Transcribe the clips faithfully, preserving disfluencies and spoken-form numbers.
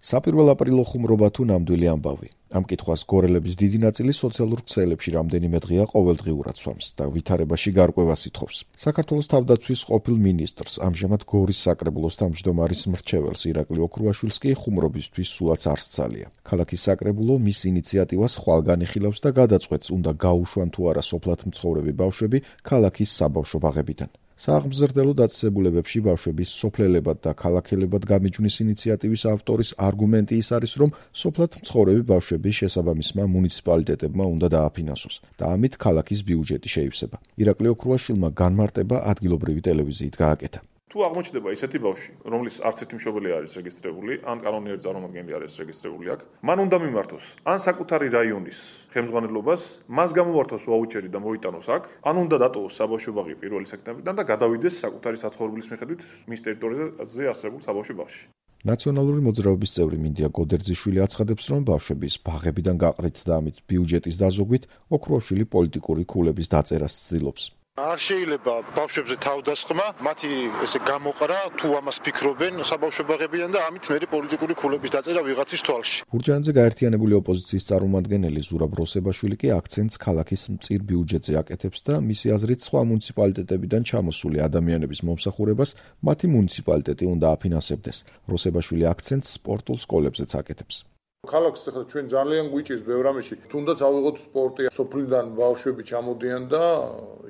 საპირველო აპრილო ხუმრობა თუ ნამდვილი ამბავი. ამ კითხვას გორელების დიდი ნაწილი სოციალურ ქსელებში რამდენიმე დღეა ყოველდღიურად სვამს და ვითარებაში გარკვევას ითხოვს. საქართველოს თავდაცვის ყოფილ მინისტრს, ამჟამად გორის საკრებულოს თავმჯდომარის მრჩეველს ირაკლი ოქრუაშვილს კი ხუმრობისთვის სულაც არ სცალია. ქალაქის საკრებულო მის ინიციატივას ხვალ განიხილავს და გადაწყვეტს, უნდა გაუშვან თუ არა სოფლად მცხოვრები ბავშვები ქალაქის საბავშვო ბაღებიდან. სააღმზრდელო დაწესებულებებში ბავშვების სოფლელებად და ქალაქელებად გამიჯვნის ინიციატივის ავტორის არგუმენტი ის არის, რომ სოფლად მცხოვრები ბავშვები შესაბამისმა მუნიციპალიტეტებმა უნდა დააფინანსოს და ამით ქალაქის ბიუჯეტი შეივსება. ირაკლი ოქრუაშვილმა განმარტება ადგილობრივი ტელევიზიით გააკეთა. თუ აღმოჩნდება ისეთი ბავშვი, რომლის არც ერთი მშობელი არის რეგისტრირებული, ან კანონიერი წარმომადგენელი არის რეგისტრირებული აქ, მან უნდა მიმართოს ან საკუთარი რაიონის ხელმძღვანელობას, მას გამოვართოს ვაუჩერი და მოიტანოს აქ, ან უნდა დატოვოს საბავშვო ბაღი პირველი სექტემბრიდან და გადავიდეს საკუთარი საცხოვრებლის მიხედვით მის ტერიტორიაზე არსებულ საბავშვო ბაღში. ნაციონალური მოძრაობის წევრი მინდია გოდერძიშვილი აცხადებს, რომ ბავშვების ბაღებიდან გაყრით და ამით ბიუჯეტის დაზოგვით ოქრუაშვილი პოლიტიკური ქულების დაწერას ცდილობს. არ შეიძლება ბავშვებზე თავდასხმა, მათი ესე გამოყრა, თუ ამას ფიქრობენ საბავშვო ბაღებიდან და ამით მერე პოლიტიკური ქულების დაწერა ვიღაცის თვალში. გურჯაანზე გაერთიანებული ოპოზიციის წარმომადგენელი ზურაბ როსებაშვილი კი აქცენტს ქალაქის მწիր ბიუჯეტზე აკეთებს და მისი აზრით სხვა მუნიციპალიტეტებიდან ჩამოსული ადამიანების მომსახურებას მათი მუნიციპალიტეტი უნდა აფინანსებდეს. როსებაშვილი აქცენტს სპორტულ სკოლებზეც აკეთებს. ქალაქს ახლა ჩვენ ძალიან გვიჭირს ბევრ ამაში. თუნდაც ავიღოთ სპორტი, სოფლიდან ბავშვები ჩამოდიან და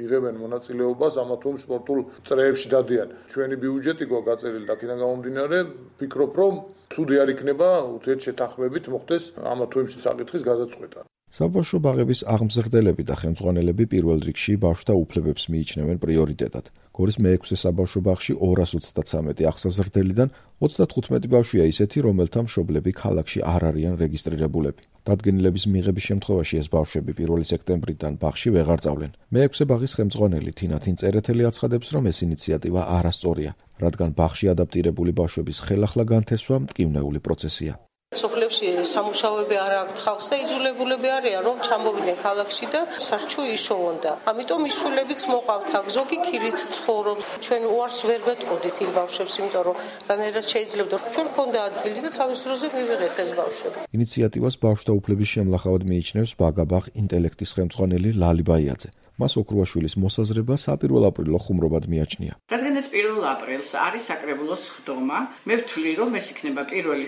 იღებენ მონაწილეობას ამა თუ იმ სპორტულ წრეებში დადიან. ჩვენი ბიუჯეტი გვაქვს გაწერილი და აქედან გამომდინარე, ვფიქრობ, რომ ცუდი არ იქნება ურთიერთშეთანხმებით მოხდეს ამა თუ იმ საკითხის გადაწყვეტა. საბავშვო ბაღების აღმზრდელები და ხელმძღვანელები პირველ რიგში ბავშვთა უფლებებს მიიჩნევენ პრიორიტეტად. გორის მეექვსე საბავშვო ბაღში ორას ოცდათვრამეტი აღსაზრდელიდან ოცდათხუთმეტი ბავშვია ისეთი, რომელთა მშობლები ქალაქში არ არიან რეგისტრირებულები. დადგენილების მიღების შემთხვევაში ეს ბავშვები პირველი სექტემბრიდან ბაღში ვეღარ წავლენ. მეექვსე ბაღის ხელმძღვანელი თინათინ წერეთელი აცხადებს, რომ ეს ინიციატივა არასწორია, რადგან ბაღში ადაპტირებული ბავშვების ხელახლა განთესვა მტკივნეული პროცესია. სოფლებში სამუშაოები არ აქვთ ხალხს და იძულებულები არიან, რომ ჩამოვიდნენ ქალაქში და სარჩუ იშოვონ და ამიტომ ის შვილებიც მოყავთ აქ, ზოგი ქირით ცხოვრობთ. ჩვენ უარს ვერ ვეტყოდით იმ ბავშვებს, იმიტომ რომ რანაირად შეიძლებოდა ჩვენ მქონდა ადგილი და თავის დროზე მივიღეთ ეს ბავშვები. ინიციატივას ბავშვთა უფლების შემლახავად მიიჩნევს ბაგაბაღ ინტელექტის ხელმძღვანელი ლალი ბაიაძე. მას ოქრუაშვილის მოსაზრება საპირველო აპრილო ხუმრობად მიაჩნია. რადგან ეს პირველ აპრილს არის საკრებულოს ხდომა, მე ვთვლი, რომ ეს იქნება პირველი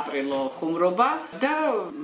აპრილო ხუმრობა და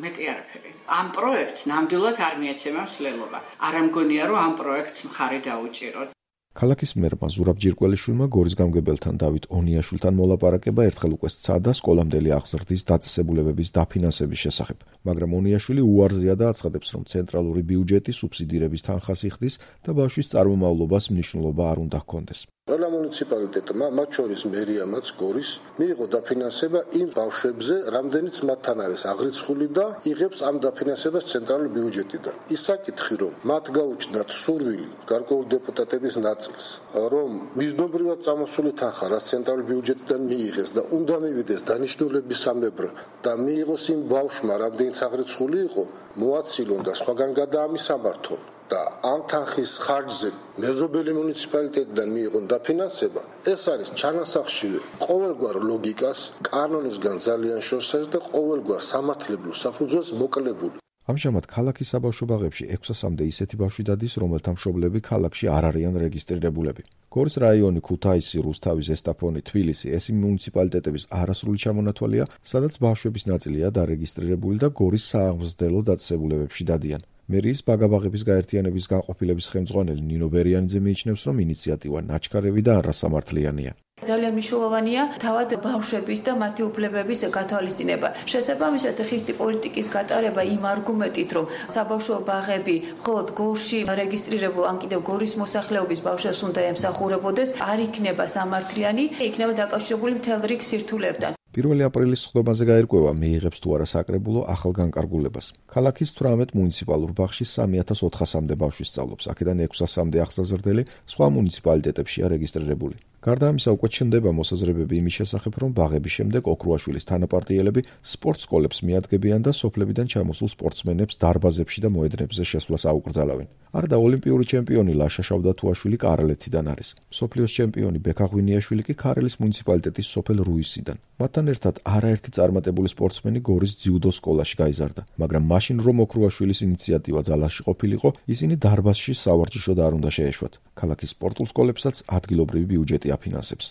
მეტი არაფერი. ამ პროექტს ნამდვილად არ მიეცემა მსვლელობა. არ ამგონია, რომ ამ პროექტს მხარი დაუჭიროთ. ქალაქის მერმა ზურაბ ჯირკველიშვილმა გორის გამგებელთან დავით ონიაშვილთან მოლაპარაკება ერთხელ უკვე სცადა სკოლამდელი აღზრდის დაწესებულებების დაფინანსების შესახებ, მაგრამ ონიაშვილი უარზეა და აცხადებს, რომ ცენტრალური ბიუჯეტი სუბსიდირების თანხას იხდის და ბავშვის წარმომავლობას მნიშვნელობა არ უნდა ჰქონდეს. ყველა მუნიციპალიტეტმა, მათ შორის მერიამაც გორის, მიიღო დაფინანსება იმ ბავშვებზე, რამდენიც მათთან არის აღრიცხული და იღებს ამ დაფინანსებას ცენტრალური ბიუჯეტიდან. ის საკითხი, რომ მათ გაუჩნდათ სურვილი გარკვეული დეპუტატების ნაწილს, რომ მიზნობრივად წამოსული თანხა, რაც ცენტრალური ბიუჯეტიდან მიიღეს და უნდა მივიდეს დანიშნულებისამებრ და მიიღოს იმ ბავშვმა, რამდენიც აღრიცხული იყო, მოაცილონ და სხვაგან გადაამისამართონ. და ამ თანხის ხარჯზე მეზობელი მუნიციპალიტეტიდან მიიღონ დაფინანსება, ეს არის ჩანასახშირი ყოველგვარ ლოგიკას, კანონისგან ძალიან შორს არის და ყოველგვარ სამართლებრივ საფუძველს მოკლებული. ამჟამად ქალაქის საბავშვო ბაღებში ექვსასამდე ისეთი ბავშვი დადის, რომელთა მშობლები ქალაქში არ არიან რეგისტრირებულები. გორის რაიონი, ქუთაისი, რუსთავი, ზესტაფონი, თბილისი ეს იმ მუნიციპალიტეტების არასრული ჩამონათვალია, სადაც ბავშვების ნაწილია დარეგისტრირებული და გორის სააღმზრდელო დაწესებულებებში დადიან. მერიის ბაგაბაღების გაერთიანების განყოფილების ხელმძღვანელი ნინო ბერიანიძე მიიჩნევს, რომ ინიციატივა ნაჩქარევი და არასამართლიანია. ძალიან მნიშვნელოვანია თავად ბავშვების და მათი უფლებების გათვალისწინება. შესაბამისად, ხისტი პოლიტიკის გატარება იმ არგუმენტით, რომ საბავშვო ბაღები მხოლოდ გორში რეგისტრირებულ ან კიდევ გორის მოსახლეობის ბავშვებს უნდა ემსახურებოდეს, არ იქნება სამართლიანი, იქნება დაკავშირებული მთელ რიგ სირთულეებთან. პირველი აპრილის ხდომაზე გაირკვევა, მიიღებს თუ არა საკრებულო ახალ განკარგულებას. ქალაქის თვრამეტ მუნიციპალურ ბაღში სამი ათას ოთხასამდე ბავშვი სწავლობს, აქედან ექვსასამდე აღსაზრდელი სხვა მუნიციპალიტეტებშია რეგისტრირებული. გარდა ამისა, უკვე ჩნდება მოსაზრებები იმის შესახებ, რომ ბაღების შემდეგ ოქრუაშვილის თანაპარტიელები სპორტ სკოლებს მიადგებიან და სოფლებიდან ჩამოსულ სპორტსმენებს დარბაზებში და მოედნებზე შესვლას აუკრძალავენ. არდა ოლიმპიური ჩემპიონი ლაშა შავდათუაშვილი კარალეთიდან არის. მსოფლიოს ჩემპიონი ბექა ღვინიაშვილი კი ქარელის მუნიციპალიტეტის სოფელ რუისიდან. მათთან ერთად არაერთი წარმატებული სპორტსმენი გორის ძიუდო სკოლაში გაიზარდა, მაგრამ მაშინ რომ ოქრუაშვილის ინიციატივა ძალაში ყოფილიყო, ისინი დარბაზში სავარჯიშოდ არ უნდა შეეშვათ. ქალაქის სპორტულ სკოლებსაც ადგილობრივი ბიუჯეტი აფინანსებს.